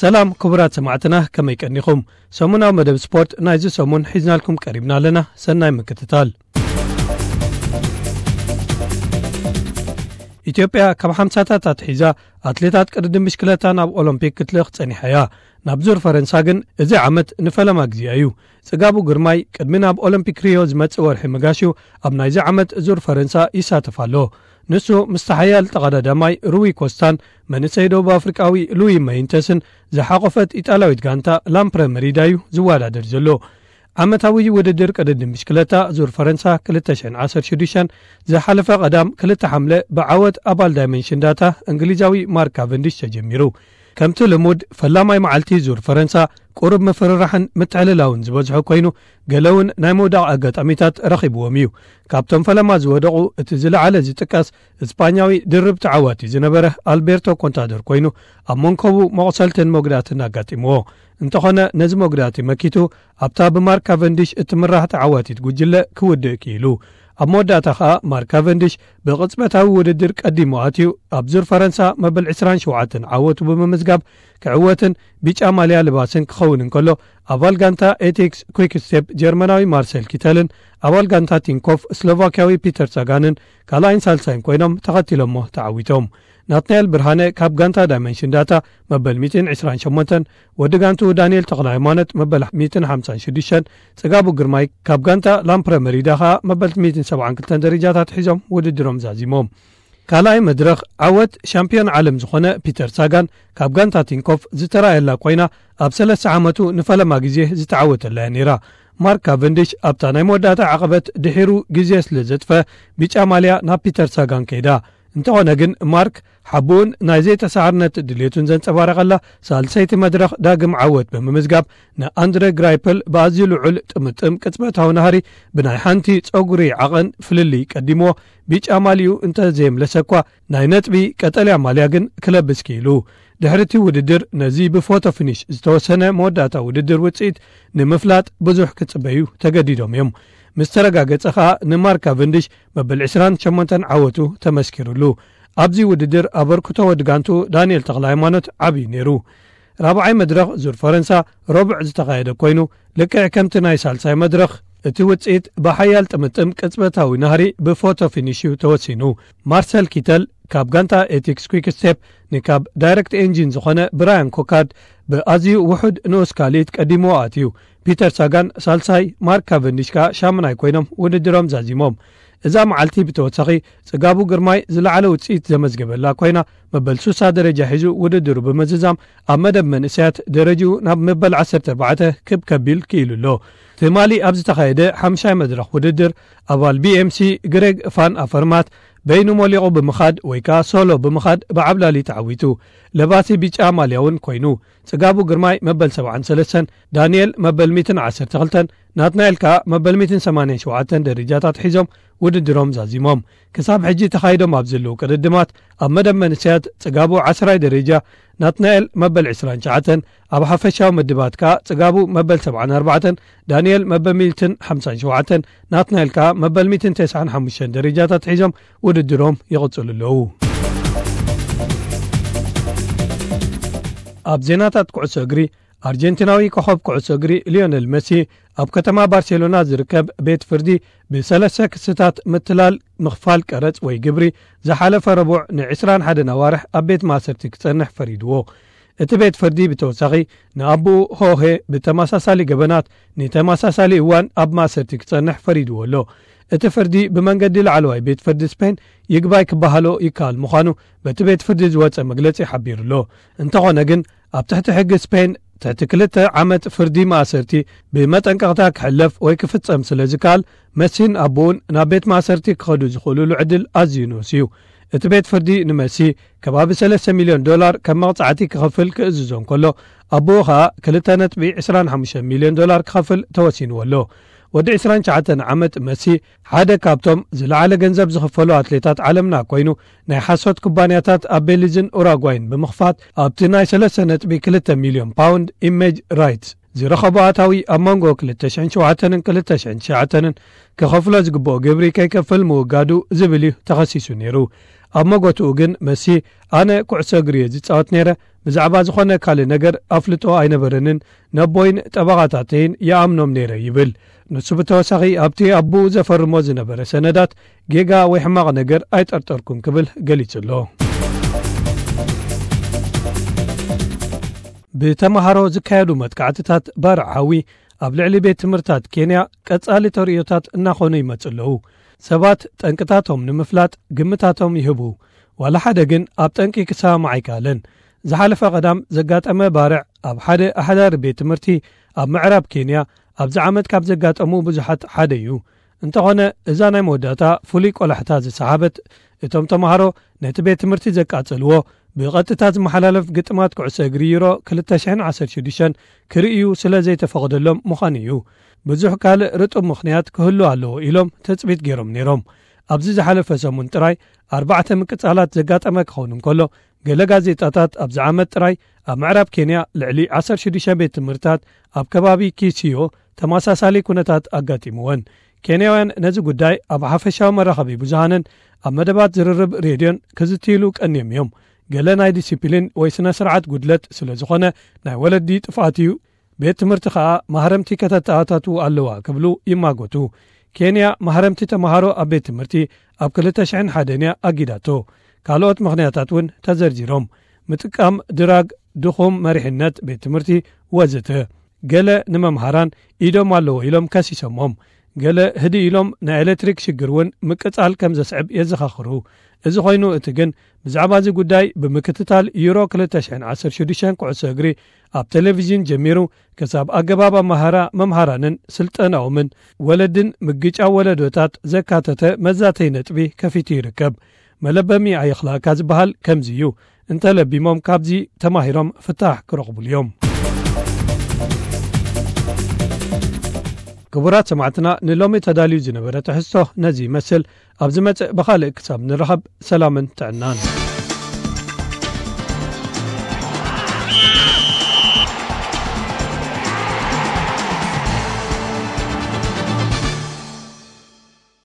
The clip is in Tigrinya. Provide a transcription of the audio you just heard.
ሰላም ክቡራት ሰማዕትና፣ ከመይ ቀኒኹም? ሰሙናዊ መደብ ስፖርት ናይዚ ሰሙን ሒዝናልኩም ቀሪብና ኣለና። ሰናይ ምክትታል። ኢትዮጵያ ካብ ሓምሳታት ኣትሒዛ ኣትሌታት ቅድድም ብሽክለታ ናብ ኦሎምፒክ ክትልእኽ ጸኒሓ እያ። ናብ ዙር ፈረንሳ ግን እዚ ዓመት ንፈለማ ግዜኣ እዩ። ጽጋቡ ግርማይ ቅድሚ ናብ ኦሎምፒክ ሪዮ ዝመጽእ ወርሒ መጋሹ ኣብ ናይዚ ዓመት ዙር ፈረንሳ ይሳተፍ ኣሎ። ንሱ ምስቲ ሓያል ተቐዳዳማይ ሩዊ ኮስታን መንእሰይ ደቡብ ኣፍሪቃዊ ሉዊ መይንተስን ዝሓቖፈት ኢጣልያዊት ጋንታ ላምፕረ መሪዳ እዩ ዝወዳደር ዘሎ። ዓመታዊ ውድድር ቅድድም ብሽክለታ ዙር ፈረንሳ ክልተ ሽሕን ዓሰርተ ሽዱሽተን ዝሓለፈ ቀዳም ክልተ ሓምለ ብዓወት ኣባል ዳይመንሽን ዳታ እንግሊዛዊ ማርክ ካቨንዲሽ ተጀሚሩ። ከምቲ ልሙድ ፈላማይ መዓልቲ ዙር ፈረንሳ ቁሩብ ምፍርራሕን ምትዕልላውን ዝበዝሖ ኮይኑ፣ ገለ እውን ናይ ምውዳቕ ኣጋጣሚታት ረኺብዎም እዩ። ካብቶም ፈለማ ዝወደቑ እቲ ዝለዓለ ዝጥቀስ እስፓኛዊ ድርብ ተዓዋቲ ዝነበረ ኣልቤርቶ ኮንታደር ኮይኑ፣ ኣብ መንኮቡ መቑሰልትን መጉዳእትን ኣጋጢምዎ። እንተኾነ ነዚ መጉዳእቲ መኪቱ ኣብታ ብማርክ ካቨንዲሽ እትምራሕ ተዓዋቲት ጉጅለ ክውድእ ክኢሉ። ኣብ መወዳእታ ኸኣ ማርክ ካቨንዲሽ ብቕጽበታዊ ውድድር ቀዲሙ ኣትዩ ኣብ ዙር ፈረንሳ መበል ዕስራን ሸውዓተን ዓወቱ ብምምዝጋብ ክዕወትን ቢጫ ማልያ ልባስን ክኸውን እንከሎ፣ ኣባል ጋንታ ኤቲክስ ኩይክ ስቴፕ ጀርመናዊ ማርሰል ኪተልን ኣባል ጋንታ ቲንኮፍ ስሎቫክያዊ ፒተር ሳጋንን ካልኣይን ሳልሳይን ኮይኖም ተኸቲሎሞ ተዓዊቶም። ናትናኤል ብርሃነ ካብ ጋንታ ዳይመንሽን ዳታ መበል ሚእትን ዕስራን ሸሞንተን፣ ወዲ ጋንቱ ዳንኤል ተኽለ ሃይማኖት መበል ሚእትን ሓምሳን ሽዱሽተን፣ ጽጋቡ ግርማይ ካብ ጋንታ ላምፕረ መሪዳ ኸኣ መበል ሚእትን ሰብዓን ክልተን ደረጃታት ሒዞም ውድድሮም ዛዚሞም። ካልኣይ መድረኽ ዓወት ሻምፒዮን ዓለም ዝኾነ ፒተር ሳጋን ካብ ጋንታ ቲንኮፍ ዝተራእየላ ኮይና፣ ኣብ ሰለስተ ዓመቱ ንፈለማ ግዜ ዝተዓወተላ እያ ነይራ። ማርክ ካቨንዲሽ ኣብታ ናይ መወዳእታ ዓቐበት ድሒሩ ግዜ ስለ ዘጥፈ፣ ቢጫ ማልያ ናብ ፒተር ሳጋን ከይዳ። እንተኾነ ግን ማርክ ሓቡኡን ናይ ዘይተሳዕርነት ድሌቱን ዘንጸባረቐላ ሳልሰይቲ መድረኽ ዳግም ዓወት ብምምዝጋብ፣ ንኣንድረ ግራይፕል ብኣዝዩ ልዑል ጥምጥም ቅጽበታዊ ናህሪ ብናይ ሓንቲ ጸጉሪ ዓቐን ፍልልይ ቀዲምዎ፣ ቢጫ ማልዩ እንተዘየምለሰ እኳ ናይ ነጥቢ ቀጠልያ ማልያ ግን ክለብስ ክኢሉ። ድሕሪ እቲ ውድድር ነዚ ብፎቶ ፊኒሽ ዝተወሰነ መወዳእታ ውድድር ውጽኢት ንምፍላጥ ብዙሕ ክጽበዩ ተገዲዶም እዮም። ምስ ተረጋገጸ ኸኣ ንማርክ ካቨንዲሽ መበል ዕስራን ሸሞንተን ዓወቱ ተመስኪሩሉ። ኣብዚ ውድድር ኣበርክቶ ወዲ ጋንቱ ዳንኤል ተኽለ ሃይማኖት ዓብዩ ነይሩ። ራብዓይ መድረኽ ዙር ፈረንሳ ረቡዕ ዝተኻየደ ኮይኑ፣ ልክዕ ከምቲ ናይ ሳልሳይ መድረኽ እቲ ውጽኢት ብሓያል ጥምጥም ቅጽበታዊ ናህሪ ብፎቶ ፊኒሽ እዩ ተወሲኑ። ማርሰል ኪተል ካብ ጋንታ ኤቲክስ ኩይክ ስቴፕ ንካብ ዳይረክት ኤንጂን ዝኾነ ብራያን ኮካርድ ብኣዝዩ ውሑድ ንኡስ ካልኢት ቀዲምዎ ኣትዩ። ፒተር ሳጋን ሳልሳይ፣ ማርክ ካቨንዲሽ ከኣ ሻምናይ ኮይኖም ውድድሮም ዛዚሞም። እዛ መዓልቲ ብተወሳኺ ጽጋቡ ግርማይ ዝለዓለ ውጽኢት ዘመዝገበላ ኮይና፣ መበል ሱሳ ደረጃ ሒዙ ውድድሩ ብምዝዛም ኣብ መደብ መንእሰያት ደረጅኡ ናብ መበል ዓሰርተ ኣርባዕተ ክብ ከቢል ክኢሉ ኣሎ። ትማሊ ኣብ ዝተኻየደ ሓምሻይ መድረኽ ውድድር ኣባል ቢኤምሲ ግሬግ ፋን ኣፈርማት በይኑ ሞሊቑ ብምኻድ ወይ ከኣ ሶሎ ብምኻድ ብዓብላሊ ተዓዊቱ። ለባሲ ቢጫ ማልያ እውን ኮይኑ። ጽጋቡ ግርማይ መበል ሰብዓን ሰለስተን፣ ዳንኤል መበል ሚእትን ዓሰርተ ክልተን፣ ናትናኤል ከኣ መበል ሚእትን ሰማንያን ሸውዓተን ደረጃታት ሒዞም ውድድሮም ዛዚሞም። ክሳብ ሕጂ ተኻይዶም ኣብ ዘለዉ ቅድድማት ኣብ መደብ መንእሰያት ጽጋቡ ዓስራይ ደረጃ፣ ናትናኤል መበል ዕስራን ትሽዓተን፣ ኣብ ሓፈሻዊ ምድባት ከኣ ጽጋቡ መበል ሰብዓን ኣርባዕተን፣ ዳንኤል መበል ሚእትን ሓምሳን ሸውዓተን፣ ናትናኤል ከኣ መበል ሚእትን ተስዓን ሓሙሽተን ደረጃታት ሒዞም ውድድሮም ይቕጽሉ ኣለዉ። ኣብ ዜናታት ኩዕሶ እግሪ፣ ኣርጀንቲናዊ ኮኸብ ኩዕሶ እግሪ ሊዮነል መሲ ኣብ ከተማ ባርሴሎና ዝርከብ ቤት ፍርዲ ብሰለስተ ክስታት ምትላል ምኽፋል ቀረጽ ወይ ግብሪ ዝሓለፈ ረቡዕ ንዕስራን ሓደን ኣዋርሕ ኣብ ቤት ማእሰርቲ ክጸንሕ ፈሪድዎ። እቲ ቤት ፍርዲ ብተወሳኺ ንኣቦኡ ሆሄ ብተመሳሳሊ ገበናት ንተመሳሳሊ እዋን ኣብ ማእሰርቲ ክጸንሕ ፈሪድዎ ኣሎ። እቲ ፍርዲ ብመንገዲ ላዕለዋይ ቤት ፍርዲ ስፔን ይግባይ ክበሃሎ ይከኣል ምዃኑ በቲ ቤት ፍርዲ ዝወጸ መግለጺ ሓቢሩ ኣሎ። እንተኾነ ግን ኣብ ትሕቲ ሕጊ ስፔን ትሕቲ ክልተ ዓመት ፍርዲ ማእሰርቲ ብመጠንቀቕታ ክሕለፍ ወይ ክፍጸም ስለ ዝከኣል፣ መሲን ኣቦኡን ናብ ቤት ማእሰርቲ ክኸዱ ዝኽእሉሉ ዕድል ኣዝዩ ንኡስ እዩ። እቲ ቤት ፍርዲ ንመሲ ከባቢ ሰለስተ ሚልዮን ዶላር ከም መቕጻዕቲ ክኸፍል ክእዝዞ እንከሎ፣ ኣቦኡ ኸኣ ክልተ ነጥቢ ዕስራን ሓሙሽተን ሚልዮን ዶላር ክኸፍል ተወሲንዎ ኣሎ። ወዲ ዕስራን ትሽዓተን ዓመት መሲ ሓደ ካብቶም ዝለዓለ ገንዘብ ዝኽፈሉ ኣትሌታት ዓለምና ኮይኑ፣ ናይ ሓሶት ኩባንያታት ኣብ ቤሊዝን ኡራጓይን ብምኽፋት ኣብቲ ናይ ሰለስተ ነጥቢ ክልተ ሚልዮን ፓውንድ ኢሜጅ ራይትስ ዝረኸቦ ኣታዊ ኣብ መንጎ ክልተ ሽሕን ሸውዓተን ክልተ ሽሕን ትሽዓተን ክኸፍሎ ዝግብኦ ግብሪ ከይከፍል ምውጋዱ ዝብል እዩ ተኸሲሱ ነይሩ። ኣብ መጎትኡ ግን መሲ፣ ኣነ ኩዕሶ እግሪ እየ ዝጻወት ነይረ፣ ብዛዕባ ዝኾነ ካልእ ነገር ኣፍልጦ ኣይነበረንን፣ ነቦይን ጠበቓታተይን ይኣምኖም ነይረ ይብል። ንሱ ብተወሳኺ ኣብቲ ኣቦኡ ዘፈርሞ ዝነበረ ሰነዳት ጌጋ ወይ ሕማቕ ነገር ኣይጠርጠርኩን ክብል ገሊጹ ኣሎ። ብተምሃሮ ዝካየዱ መጥቃዕትታት ባርዕ ሓዊ ኣብ ልዕሊ ቤት ትምህርታት ኬንያ ቀጻሊ ተርእዮታት እናኾኑ ይመጹ ኣለዉ። ሰባት ጠንቅታቶም ንምፍላጥ ግምታቶም ይህቡ። ዋላ ሓደ ግን ኣብ ጠንቂ ክሰማማዕ ኣይከኣለን። ዝሓለፈ ቀዳም ዘጋጠመ ባርዕ ኣብ ሓደ ኣሕዳሪ ቤት ትምህርቲ ኣብ ምዕራብ ኬንያ ኣብዚ ዓመት ካብ ዘጋጠሙ ብዙሓት ሓደ እዩ። እንተኾነ እዛ ናይ መወዳእታ ፍሉይ ቆላሕታ ዝሰሓበት፣ እቶም ተምሃሮ ነቲ ቤት ትምህርቲ ዘቃጸልዎ ብቐጥታ ዝመሓላለፍ ግጥማት ኩዕሶ እግሪ ዩሮ ክልተ ሽሕን ዓሰርተ ሽዱሽተን ክርእዩ ስለ ዘይተፈቕደሎም ምዃኑ እዩ። ብዙሕ ካልእ ርጡብ ምኽንያት ክህሉ ኣለዎ ኢሎም ትጽቢት ገይሮም ነይሮም። ኣብዚ ዝሓለፈ ሰሙን ጥራይ ኣርባዕተ ምቅጻላት ዘጋጠመ ክኸውን እንከሎ፣ ገለ ጋዜጣታት ኣብዚ ዓመት ጥራይ ኣብ ምዕራብ ኬንያ ልዕሊ ዓሰርተ ሽዱሽተ ቤት ትምህርትታት ኣብ ከባቢ ኪሲዮ ተመሳሳሊ ኩነታት ኣጋጢምወን። ኬንያውያን ነዚ ጉዳይ ኣብ ሓፈሻዊ መራኸቢ ብዙሃንን ኣብ መደባት ዝርርብ ሬድዮን ክዝትይሉ ቀንዮም እዮም። ገለ ናይ ዲሲፕሊን ወይ ስነ ስርዓት ጉድለት ስለ ዝኾነ ናይ ወለዲ ጥፍኣት እዩ። ቤት ትምህርቲ ከኣ ማህረምቲ ከተተኣታትው ኣለዋ ክብሉ ይማጎቱ። ኬንያ ማህረምቲ ተምሃሮ ኣብ ቤት ትምህርቲ ኣብ ክልተ ሽሕን ሓደን እያ ኣጊዳቶ። ካልኦት ምኽንያታት እውን ተዘርዚሮም። ምጥቃም ድራግ፣ ድኹም መሪሕነት ቤት ትምህርቲ ወዘተ። ገለ ንመምሃራን ኢዶም ኣለዎ ኢሎም ከሲሶሞም። ገለ ህድእ ኢሎም ናይ ኤሌክትሪክ ሽግር እውን ምቅጻል ከም ዘስዕብ የዘኻኽሩ። እዚ ኮይኑ እቲ ግን ብዛዕባ እዚ ጉዳይ ብምክትታል ዩሮ ክልተ ሽሕን ዓሰርተ ሽዱሽተን ኩዕሶ እግሪ ኣብ ቴሌቪዥን ጀሚሩ ክሳብ ኣገባብ ኣመሃራ መምሃራንን ስልጠናኦምን ወለድን ምግጫው ወለዶታት ዘካተተ መዛተይ ነጥቢ ከፊቱ ይርከብ። መለበሚ ኣየኽላእካ ዝበሃል ከምዚ እዩ። እንተለቢሞም ካብዚ ተማሂሮም ፍታሕ ክረኽቡሉ እዮም። ክቡራት ሰማዕትና፣ ንሎሚ ተዳልዩ ዝነበረ ትሕዝቶ ነዚ ይመስል። ኣብ ዝመጽእ ብኻልእ ክሳብ ንረኸብ፣ ሰላምን ጥዕናን።